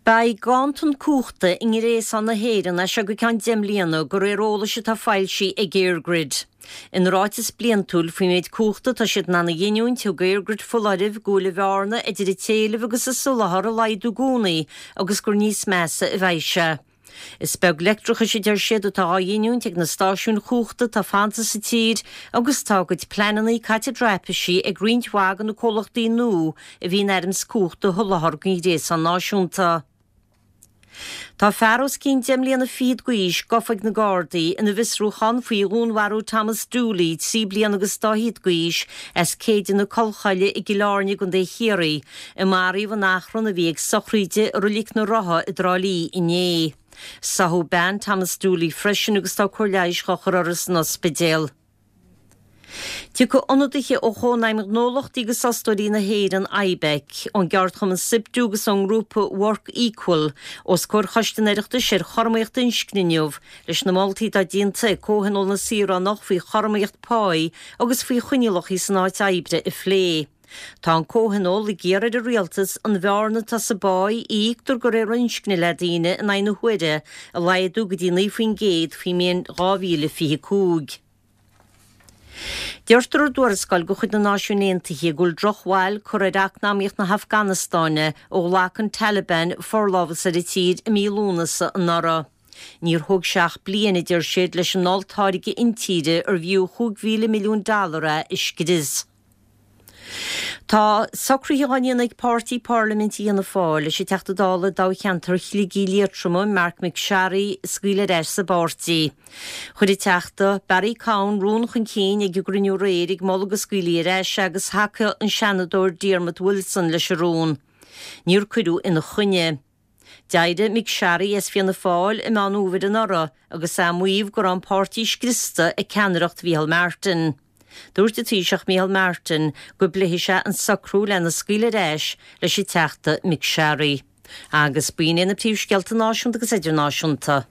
Beidh ganntan cumhachta i ngréasán na hÉireann as seo go ceann 10 mbliana, de réir eolais atá foilsithe ag EirGrid. Ina ráiteas bliantúil faoin méid cumhachta atá siad in ann a ghiniúint, thug EirGrid foláireamh go bhfuil an bhearna idir an t-éileamh agus an soláthar ag laghdú i gcónaí agus gur níos measa a bheidh sé. Is beag leictreachais, a deir siad, atá á ghiniúint ag na stáisiúin chumhachta atá fanta sa tír agus tá a gcuid pleananna caite i dtraipisí ag roinnt mhaith de na comhlachtaí nua a bhí in ainm is cumhacht a sholáthar don ghréasán náisiúnta. Tá fear os cionn deich mbliana fichead d'aois gafa ag na Gardaí ina bhfiosrúchán faoi dhúnmharú Thomas Dooley, 3 bliana agus dá fhichead d'aois, as Céideanna Collchoille i gCill Airne i gContae Chiarraí, a maraíodh in achrann a bhí ag sochraíde i Roilic na Rotha i dTrá Lí inné. Sáthadh bean Thomas Dooley freisin agus tá cóir leighis dhá chur uirthi san ospidéal. Tiocfaidh ionadaithe ó Chónaidhm Ghnólachtaí agus Fhostóirí na hÉireann, IBEC, ón gceardchumann Siptu agus ón ngrúpa Work Equal os comhair Choiste an Oireachtais ar Chothromaíocht Inscne inniu leis na moltaí atá déanta ag Comhthionól na Saoránach faoi chothromaíocht páí agus faoi choinníollacha san áit oibre a phlé. Tá an Comhthionól ag iarraidh ar an Rialtas an bhearna atá sa bpáí a íoctar de réir inscne le daoine in aghaidh na huaire a laghdú go dtí 9% faoin mbliain 2025. Deirtear i dtuarascáil de chuid na Náisiún Aontaithe go bhfuil drochbhail curtha ar eacnamaíocht na hAfganastáine ó ghlac an Taliban forlámhas ar an tír i mí Lúnasa anuraidh. Níor thóg sé ach bliain, a deir siad, leis an olltáirge intíre arbh fhiú 5,000 milliún dollar é a scrios. Tá socruithe á ndéanamh ag páirtí parlaiminte Fhianna Fáil leis an Teachta Dála i dtoghcheantar Shligigh Liatroma, Marc MacSharry, a scaoileadh ar ais sa bpáirtí. Chuir an Teachta Barry Cowen rún chun cinn ag an gcruinniú aréir ag moladh go scaoilfí ar ais é agus thacaigh an Seanadóir Diarmuid Wilson leis an rún. Níor cuireadh ina choinne. D'éirigh MacSharry as Fianna Fáil i Meán Fhómhair anuraidh agus é ag maíomh go raibh an páirtí scriosta ag ceannaireacht Mhícheál Martin. Dúirt an Taoiseach Micheál Martin go bpléifidh sé an socrú lena scaoileadh ar ais leis an Teachta MacSharry. Agus b'in iad na príomhscéalta náisiúnta agus idirnáisiúnta.